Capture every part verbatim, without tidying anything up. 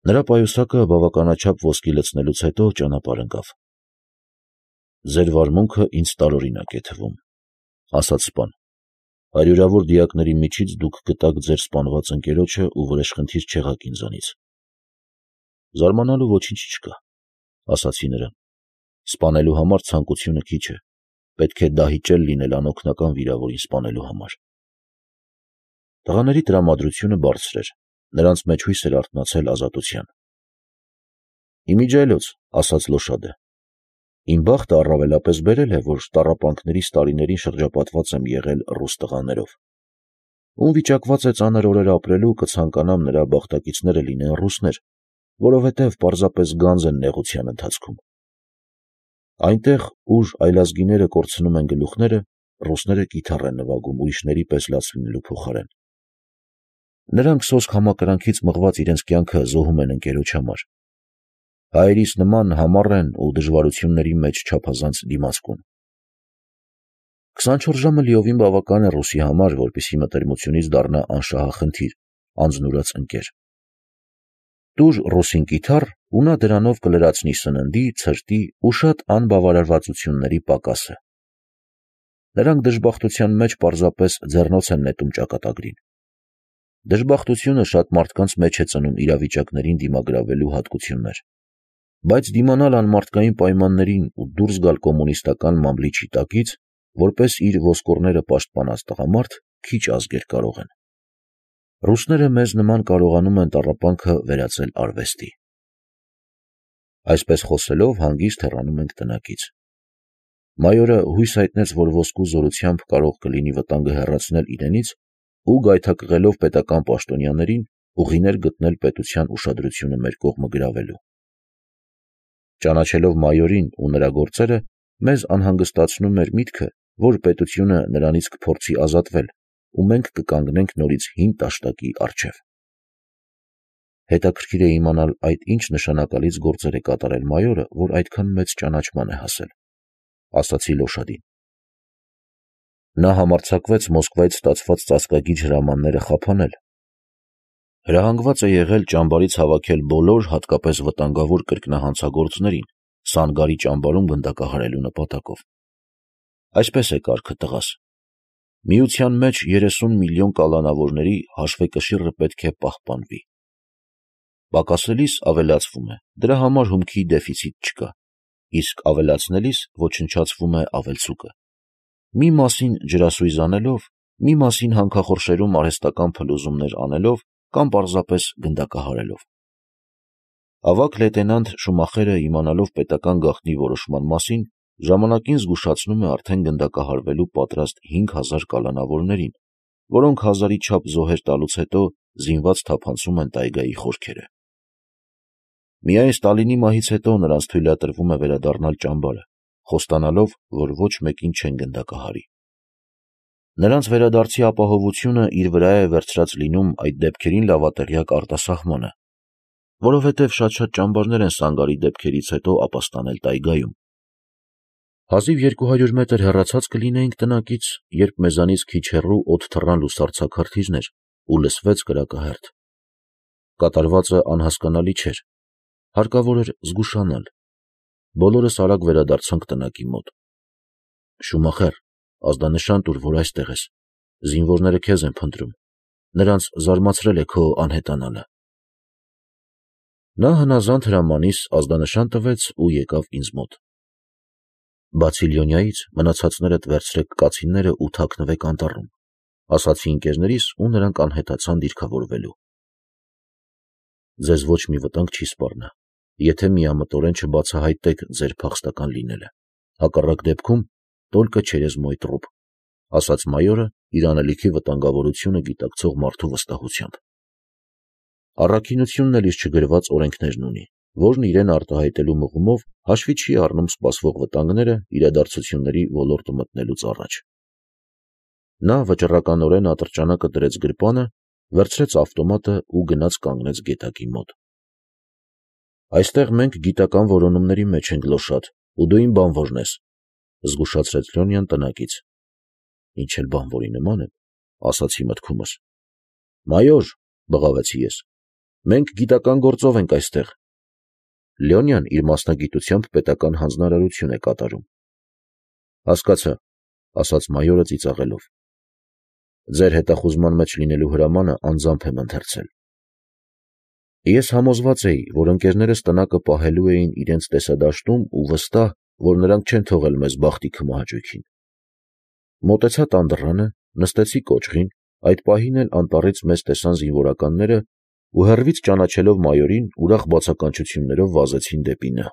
Նրա պայուսակը բավականաչափ ոսկի լցնելուց հետո ճանապարհ ընկավ։ «Ձեր վարմունքը ինձ տարօրինակ է թվում», ասաց սպան. «հարյուրավոր դիակների միջից դուք գտաք ձեր սպանված ընկերոջը ու վրեժխնդիր չեղաք ինձանից»։ «Զարմանալու ոչինչ չկա», ասացի նրան. «սպանելու համար ցանկությունը քիչ է, պետք է դահիճել լինել անօգնական վիրավորին սպանելու համար»։ Տղաների տրամադրությունը բարձր էր, նրանց մեջ հույս էր արթնացել ազատության։ «Իմիջիայլոց», ասաց Լոշադը, «իմ բախտը առավելապես բերել է, որ տառապանքներիս տարիներին շրջապատված եմ եղել ռուս տղաներով։ Ում վիճակված է ծանր օրեր ապրելու, կցանկանամ նրա բախտակիցները լինեն ռուսներ, որովհետև պարզապես գանձ են նեղության ընթացքում։ Այնտեղ, ուր այլազգիները կորցնում են գլուխները, ռուսները կիթառ են նվագում ուրիշների պես լաց լինելու փոխարեն։ Նրանք սոսկ համակրանքից մղված իրենց կյանքը զոհում են ընկերոջ համար։ Հայերիս նման համառ են ու դժվարությունների մեջ չափազանց դիմացկուն։ Քսանչորս ժամը լիովին բավական է ռուսի համար, որպեսզի մտերմությունից դառնա անշահախնդիր, անձնուրաց ընկեր։ Տուր ռուսին կիթառ, ու նա դրանով կլրացնի սննդի, ցրտի ու շատ անբավարարվածությունների պակասը։ Նրանք դժբախտության մեջ պարզապես ձեռնոց են նետում ճակատագրին։ Դժբախտությունը շատ մարդկանց մեջ է ծնում իրավիճակներին դիմագրավելու հատկություններ, բայց դիմանալ անմարդկային պայմաններին ու դուրս գալ կոմունիստական մամլիչի տակից, որպես իր ոսկորները պաշտպանած տղամարդ, քիչ ազգեր կարող են։ Ռուսները մեզ նման կարողանում են տառապանքը վերածել արվեստի։ Այսպես խոսելով հանգիստ հեռանում ենք տնակից։ Մայորը հույս հայտնեց, որ ոսկու զորությամբ կարող կլինի վտանգը հեռացնել իրենից ու գայթակղելով պետական պաշտոնյաներին ուղիներ գտնել պետության ուշադրությունը մեր կողմը գրավելու։ Ճանաչելով մայորին ու նրա գործերը, մեզ անհանգստացնում էր միտքը, որ պետությունը նրանից կփորձի ազատվել, ու մենք կկանգնենք նորից հին տաշտակի առջև։ Հետաքրքիր է իմանալ այդ ինչ նշանակալից գործեր է կատարել մայորը, որ այդքան մեծ ճանաչման է հասել, ասացի Լոշադին։ Նա համարձակվեց Մոսկվայից ստացված ծածկագիր հրամանները խափանել։ Հրահանգված է եղել ճամբարից հավաքել բոլոր, հատկապես վտանգավոր կրկնահանցագործներին, Սանգարի ճամբարում գնդակահարելու նպատակով։ Այսպես է կարգը, տղաս։ Միության մեջ երեսուն միլիոն կալանավորների հաշվեկշիռը պետք է պահպանվի։ Պակասելիս ավելացվում է, դրա համար հումքի դեֆիցիտ չկա, իսկ ավելացնելիս ոչնչացվում է ավելցուկը։ Մի մասին ջրասույզ անելով, մի մասին հանքախորշերում արհեստական փլուզումներ անելով կամ պարզապես գնդակահարելով։ Ավագ լեյտենանտ Շումախերը, իմանալով պետական գաղտնի որոշման մասին, ժամանակին զգուշացնում է արդեն գնդակահարվելու պատրաստ հինգ հազար կալանավորներին, որոնք հազարի չափ զոհեր տալուց հետո զինված թափանցում են տայգայի խորքերը։ Միայն Ստալինի մահից հետո նրանց թույլատրվում է վերադառնալ ճամբարը, խոստանալով, որ ոչ մեկին չեն գնդակահարի։ Նրանց վերադարձի ապահովությունը իր վրա է վերցրած լինում այդ դեպքերին լավատեղյակ արտասահմանը, որովհետև շատ-շատ ճամբարներ են Սանգարի դեպքերից հետո ապաստանել տայգայում։ Հազիվ երկու հարյուր մետր հեռացած կլինեինք տնակից, երբ մեզանից քիչ հեռու օդ թռան լուսարձակ հրթիռներ ու լսվեց կրակահերթ։ Կատարվածը անհասկանալի չէր, հարկավոր էր զգուշանալ։ Բոլորս արագ վերադարձանք տնակի մոտ։ Շումախեր, ազդանշան տուր, որ այստեղ ես, զինվորները քեզ են փնտրում, նրանց զարմացրել է քո անհետանալը։ Նա հնազանդ հրամանիս ազդանշան տվեց ու եկավ ինձ մոտ։ Բացի Լյոնյայից մնացածներդ վերցրեք կացինները ու թաքնվեք անտառում, ասացի ընկերներիս ու նրանք անհետացան դիրքավորվելու։ Ձեզ ոչ մի վտանգ չի սպառնա, եթե միամտորեն չբացահայտեք ձեր փախստական լինելը, հակառակ դեպքում տոլկը չերեզ մոյ տրուփ, ասաց մայորը իր անելիքի վտանգավորությունը գիտակցող մարդու վստահությամբ։ Առաքինությունն էլ իր չգրված օրենքներն ունի, որն իրեն արտահայտելու մղումով հաշվի չի առնում սպասվող վտանգները իրադարձությունների ոլորտը մտնելուց առաջ։ Նա վճռականորեն ատրճանակը դրեց գրպանը, վերցրեց ավտոմատը ու գնաց կանգնեց գետակի մոտ։ Այստեղ մենք գիտական որոնումների մեջ ենք, Լոշադ, ու դու իմ բանվորն ես, զգուշացրեց Լյոնյան տնակից։ Ինչ էլ բանվորի նման եմ, ասացի մտքումս։ Մայոր, բղավեցի ես, Մենք գիտական գործով ենք այստեղ։ Լեոնյան իր մասնագիտությամբ պետական հանձնարարություն է կատարում։ Հասկացա, ասաց մայորը ծիծաղելով։ Ձեր հետախուզման մեջ լինելու հրամանը անձամբ եմ ընթերցել։ Ես համոզված էի, որ ընկերներս տնակը պահելու էին իրենց տեսադաշտում ու վստահ, որ նրանք չեն թողել մեզ բախտի քմահաճույքին։ Մոտեցա տան դռանը, նստեցի կոճղին, այդ պահին էլ անտառից մեզ տեսան զինվորականները ու հեռվից ճանաչելով մայորին ուրախ բացականչություններով վազեցին դեպի նա։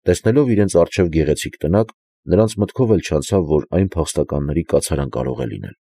Տեսնելով իրենց առջև գեղեցիկ տնակ, նրանց մտքով էլ չանցավ, որ այն փախստականների կացարան կարող է լինել։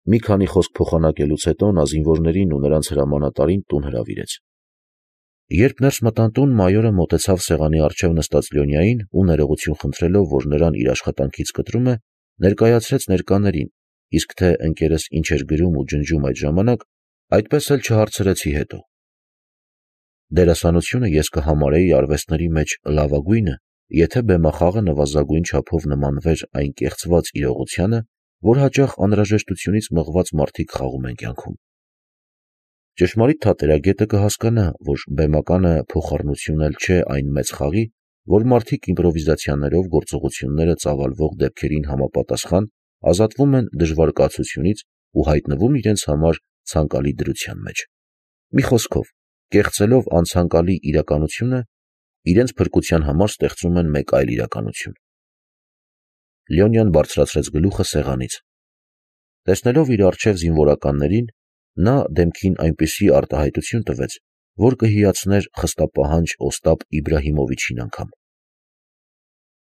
Մի քանի խոսք փոխանակելուց հետո նա զինվորներին ու նրանց հրամանատարին տուն հրավիրեց։ Երբ ներս մտան տուն, մայորը մոտեցավ սեղանի առջև նստած Լյոնյային ու ներողություն խնդրելով, որ նրան իր աշխատանքից կտրում է, ներկայացրեց ներկաներին, իսկ թե ընկերս ինչ էր գրում ու ջնջում այդ ժամանակ, այդպես էլ չհարցրեցի հետո։ Դերասանությունը ես կհամարեի արվեստների մեջ լավագույնը, եթե բեմախաղը նվազագույն չափով նմանվեր այն կեղծված իրողությանը, որ հաճախ անհրաժեշտությունից մղված մարդիկ խաղում են կյանքում։ Ճշմարիտ թատերագետը կհասկանա, որ բեմականը փոխառնություն էլ չէ այն մեծ խաղի, որ մարդիկ իմպրովիզացիաներով գործողությունները ծավալվող դեպքերին համապատասխան ազատվում են դժվար կացությունից ու հայտնվում իրենց համար ցանկալի դրության մեջ։ Մի խոսքով, կեղծելով անցանկալի իրականությունը, իրենց փրկության համար ստեղծում են մեկ այլ իրականություն։ Լեոնյան բարձրացրեց գլուխը սեղանից։ Տեսնելով իր առջև զինվորականներին, նա դեմքին այնպիսի արտահայտություն տվեց, որ կհիացներ խստապահանջ Օստապ Իբրահիմովիչին անգամ։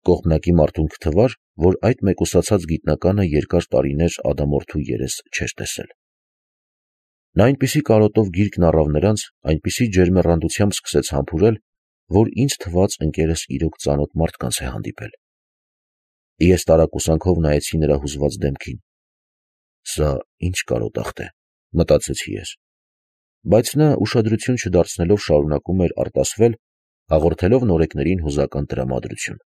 Կողմնակի մարդուն կթվար, որ այդ մեկուսացած գիտնականը երկար տարիներ ադամորդու երես չէր տեսել։ Նա այնպիսի կարոտով գիրկն առավ նրանց, այնպիսի ջերմեռանդությամբ սկսեց համբուրել, որ ինձ թվաց ընկերս իրոք ծանոթ մարդկանց է հանդիպել։ Ես տարակուսանքով նայեցի նրա հուզված դեմքին։ Սա ինչ կարոտախտ է, մտածեցի ես։ Բայց նա ուշադրություն չդարձնելով շարունակում էր արտասվել, հաղորդելով նորեկներին հուզական տրամադրություն։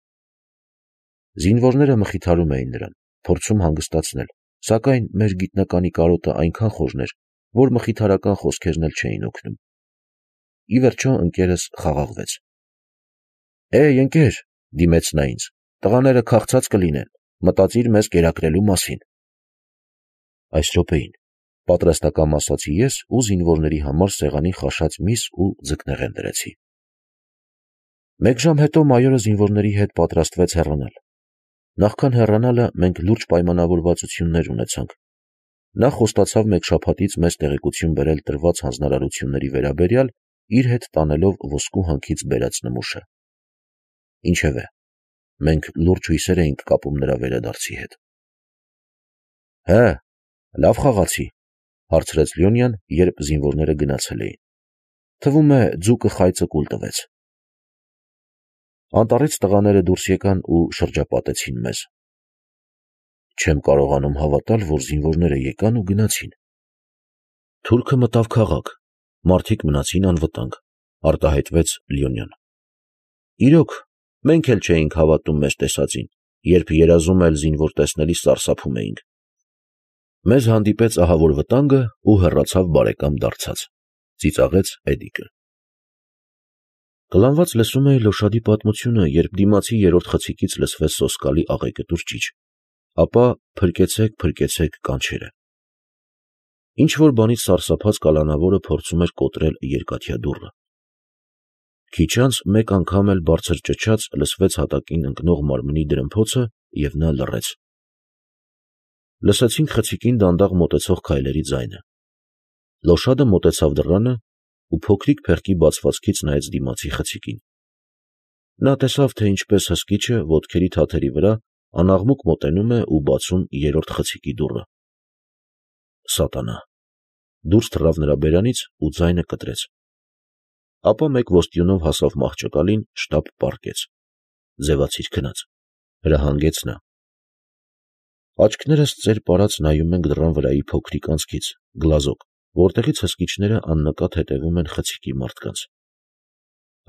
Զինվորները մխիթարում էին նրան, փորձում հանգստացնել, սակայն մեր գիտնականի կարոտը այնքան խորն էր, որ մխիթարական խոսքերն էլ չէին օգնում։ Ի վերջո ընկերս խաղաղվեց։ Էй, ընկեր, դիմեց նա ինձ, տղաները քաղցած կլինեն, մտածիր մեզ կերակրելու մասին։ Այս րոպեին, պատրաստակամ ասացի ես ու զինվորների համար սեղանին խաշած միս ու ձկնեղեն դրեցի։ Մեկ ժամ հետո մայորը զինվորների հետ պատրաստվեց հեռանալ։ Նախքան հեռանալը մենք լուրջ պայմանավորվածություններ ունեցանք։ Նա խոստացավ մեկ շաբաթից մեզ տեղեկություն բերել տրված հանձնարարությունների վերաբերյալ, իր հետ տանելով ոսկու հանքից բերած նմուշը։ Ինչևէ, մենք լուրջ հույսեր էինք կապում նրա վերադարձի հետ։ Հը, լավ խաղացի, հարցրեց Լյոնյան, երբ զինվորները գնացել էին։ Թվում է ձուկը խայծը կուլ տվեց։ Անտառից տղաները դուրս եկան ու շրջապատեցին մեզ։ Չեմ կարողանում հավատալ, որ զինվորները եկան ու գնացին։ Թուրքը մտավ քաղաք, մարդիկ մնացին անվտանգ, արտահայտվեց Լյոնյան։ Իրոք, մենք էլ չէինք հավատում մեր տեսածին, երբ երազում էլ զինվոր տեսնելիս սարսափում էինք։ Մեզ հանդիպեց ահավոր վտանգը ու հեռացավ բարեկամ դարձած, ծիծաղեց Էդիկը։ Կլանված լսում էի Լոշադի պատմությունը, երբ դիմացի երրորդ խցիկից լսվեց սոսկալի աղեկտուր ճիչ, ապա փրկեցեք, փրկեցեք կանչերը։ Ինչ որ բանից սարսափած կալանավորը փորձում էր կոտրել երկաթյա դուռը։ Քիչ անց մեկ անգամ էլ բարձր ճչաց լսվեց հատակին ընկնող մարմնի դրմփոցը և նա լռեց։ Լսեցինք խցիկին դանդաղ մոտեցող քայլերի ձայնը։ Լոշադը մոտեցավ դռանը ու փոքրիկ փեղկի բացվածքից նայեց դիմացի խցիկին։ Նա տեսավ, թե ինչպես հսկիչը ոտքերի թաթերի վրա անաղմուկ մոտենում է ու բացում երրորդ խցիկի դուռը։ Սատանա։ Դուրս թռավ նրա բերանից ու ձայնը կտրեց։ Ապա մեկ ոստիոնով հասավ մահճակալին, շտապ պառկեց։ Ձևացիր քնած, հրահանգեց նա։ Աչքներս ծեր պարած նայում ենք դռան վրայի փոքրիկ անցքից, գլազոկ, որտեղից հսկիչները աննկատ հետևում են խցիկի մարդկանց։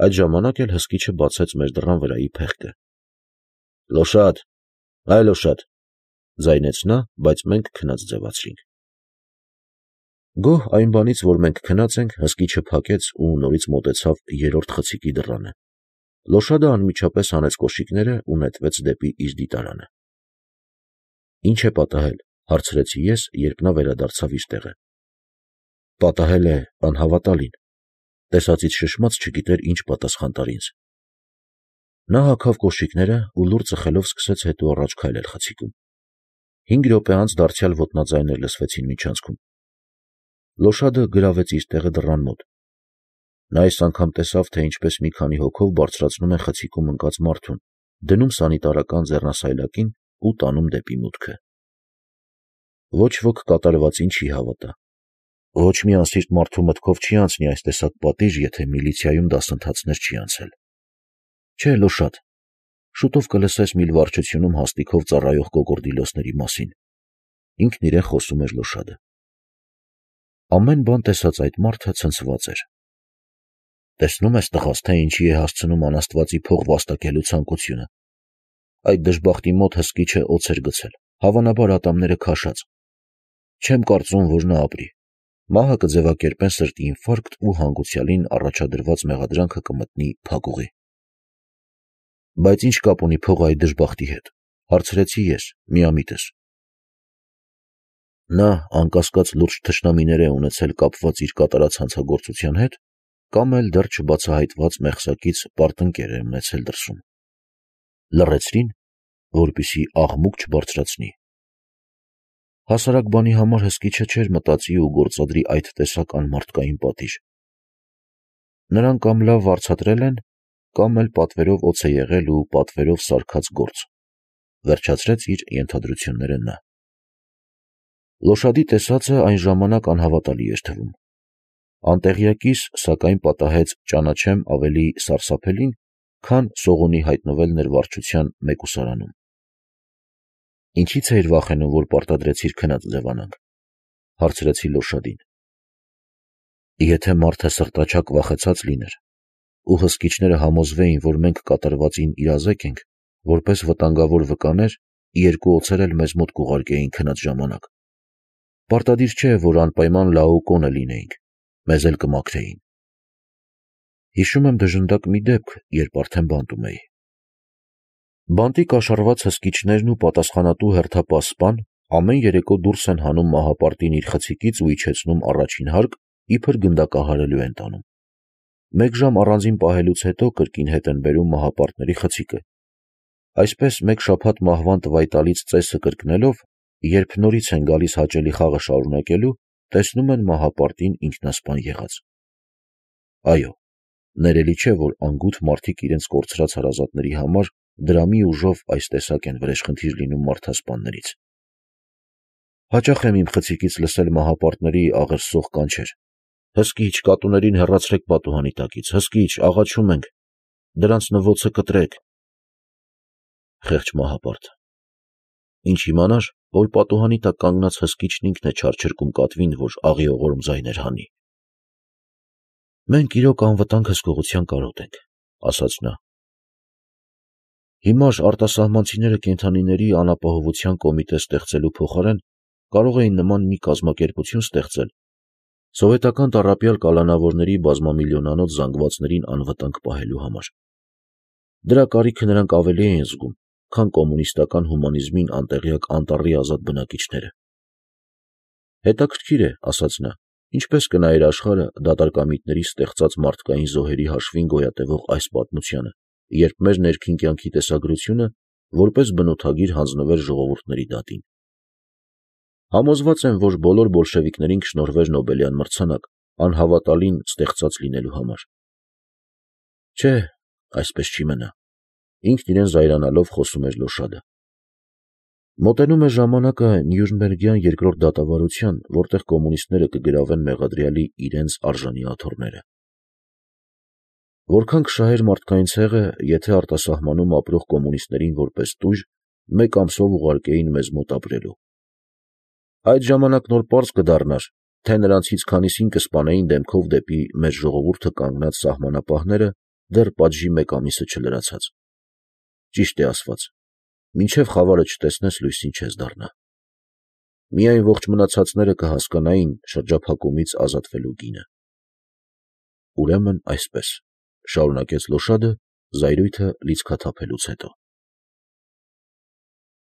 Այդ ժամանակ էլ հսկիչը բացեց մեր դռան վրայի փեղկը։ Լոշադ, այ Լոշադ, ձայնեց նա, բայց մենք քնած ձևացրինք։ Գոհ այն բանից, որ մենք քնած ենք, հսկիչը փակեց ու նորից մոտեցավ երրորդ խցիկի դռանը։ Լոշադը անմիջապես հանեց կոշիկները ու նետվեց դեպի իր դիտարանը։ Ինչ է պատահել, հարցրեցի ես, երբ նա վերադարձավ իր տեղը։ Պատահել է անհավատալին։ Տեսածից շշմած չգիտեր ինչ պատասխան տար ինձ։ Նա հագավ կոշիկները ու լուր ծխելով սկսեց հետո առաջ քայլել խցիկում։ Հինգ րոպե անց դարձյալ ոտնաձայներ լսվեցին միջանցքում։ Լոշադը գրավեց իր տեղը դռան մոտ։ Նա այս անգամ տեսավ, թե ինչպես մի քանի հոգով բարձրացնում են խցիկում ընկած մարդուն, դնում սանիտարական ձեռնասայլակին ու տանում դեպի մուտքը։ Ոչ ոք կատարվածին չի հավատա։ Ոչ մի անսիրտ մարդու մտքով չի անցնի այս տեսակ պատիժ, եթե միլիցիայում դասընթացներ չի անցել։ Չէ, Լոշադ, շուտով կլսես միլ վարչությունում հաստիքով ծառայող կոկորդիլոսների մասին։ Ինքն իրեն խոսում էր Լոշադը։ Ամեն բան տեսած այդ մարդը ցնցված էր։ Տեսնում ես տղաս, թե ինչի է հասցնում անաստվածի փող վաստակելու ցանկությունը։ Այդ դժբախտի մոտ հսկիչը օձ էր գցել, հավանաբար ատամները քաշած։ Չեմ կարծում, որ նա ապրի։ Մահը կձևակերպեն սրտի ինֆարկտ ու հանգուցյալին առաջադրված մեղադրանքը կմտնի փակուղի։ Բայց ինչ կապ ունի փողը այդ դժբախտի հետ, հարցրեցի ես, միամիտս։ Նա անկասկած լուրջ թշնամիներ է ունեցել կապված իր կատարած հանցագործության հետ, կամ էլ դեռ չբացահայտված մեղսակից պարտընկեր է ունեցել դրսում։ Լռեցրին, որպեսզի աղմուկ չբարձրացնի։ Հասարակ բանի համար հսկիչը չէր մտածի ու գործադրի այդ տեսակ անմարդկային պատիժ։ Նրան կամ լավ վարձատրել են, կամ էլ պատվերով օձ է եղել ու պատվերով սարքած գործ, վերջացրեց իր ենթադրությունները նա։ Լոշադի տեսածը այն ժամանակ անհավատալի էր թվում։ Անտեղյակիս, սակայն պատահեց ճանաչեմ ավելի սարսափելին, քան Սողունի հայտնվելն էր վարչության մեկուսարանում։ Ինչի՞ց էիր վախենում, որ պարտադրեցիր քնած ձևանանք, հարցրեցի Լոշադին։ Եթե մարդը սրտաչակ վախեցած լիներ, ու հսկիչները համոզվեին, որ մենք կատարվածին իրազեկ ենք, որպես վտանգավոր վկաներ, երկու օձեր էլ մեզ մոտ կուղարկեին քնած ժամանակ։ Պարտադիր չէ, որ անպայման լաուկոնը լինեինք, մեզ էլ կմաքրեին։ Հիշում եմ դժնդակ մի դեպք, երբ արդեն բանտում էի։ Բանտի կաշառված հսկիչներն ու պատասխանատու հերթապահ ամեն երեկո դուրս են հանում մահապարտին իր խցիկից ու իջեցնում առաջին հարկ, իբր գնդակահարելու են տանում։ Մեկ ժամ առանձին պահելուց հետո կրկին հետ են բերում մահապարտների խցիկը։ Այսպես մեկ շաբաթ մահվան տվայտալից ծեսը կրկնելով, երբ նորից են գալիս հաճելի խաղը շարունակելու, տեսնում են մահապարտին ինքնասպան եղած։ Այո, ներելի չէ, որ անգութ մարդիկ իրենց կորցրած հարազատների համար դրամի ուժով այս տեսակ են վրեժխնդիր լինում մարդասպաններից։ Հաճախ եմ իմ խցիկից լսել մահապարտների աղերսող կանչեր. «Հսկիչ, կատուներին հեռացրեք պատուհանի տակից, հսկիչ, աղաչում ենք, դրանց նվոցը կտրեք»։ Խեղճ մահապարտ։ Ինչ իմանար, որ պատուհանի տակ կանգնած հսկիչն ինքն է չարչրկում կատվին, որ աղիողորմ ձայներ հանի։ Մենք իրոք անվտանգ հսկողության կարոտ ենք, ասաց նա։ Հիմար արտասահմանցիները կենդանիների անապահովության կոմիտե ստեղծելու փոխարեն կարող էին նման մի կազմակերպություն ստեղծել, սովետական տառապյալ կալանավորների բազմամիլիոնանոց զանգվածներին անվտանգ պահելու համար։ Դրա կարիքը նրանք ավելի էին զգում, քան կոմունիստական հումանիզմին անտեղյակ անտառի ազատ բնակիչները։ Հետաքրքիր է, ասաց նա, ինչպես կնայեր աշխարհը դատարկամիտների ստեղծած մարդկային զոհերի հաշվին գոյատևող այս պատմությանը, երբ մեր ներքին կյանքի տեսագրությունը որպես բնութագիր հանձնվեր ժողովուրդների դատին։ Համոզված եմ, որ բոլոր բոլշևիկներին կշնորհվեր Նոբելյան մրցանակ, անհավատալին ստեղծած լինելու համար։ Չէ, այսպես չի մնա, ինքն իրեն զայրանալով խոսում էր Լոշադը։ Մոտենում է ժամանակը Նյուրնբերգյան երկրորդ դատավարության, որտեղ կոմունիստները կգրավեն մեղադրյալի իրենց արժանի աթոռները։ Որքան կշահեր մարդկային ցեղը, եթե արտասահմանում ապրող կոմունիստներին որպես տույժ մեկ ամսով ուղարկեին մեզ մոտ ապրելու։ Այդ ժամանակ նոր պարզ կդառնար, թե նրանցից քանիսին կսպանեին դեմքով դեպի մեր ժողովուրդը կանգնած սահմանապահները, դեռ պատժի մեկ ամիսը չլրացած։ Ճիշտ է ասված, մինչև խավարը չտեսնես, լույսին չես դառնա։ Միայն ողջ մնացածները կհասկանային շրջափակումից ազատվելու գինը։ Ուրեմն այսպես, շարունակեց Լոշադը զայրույթը լիցքաթափելուց հետո։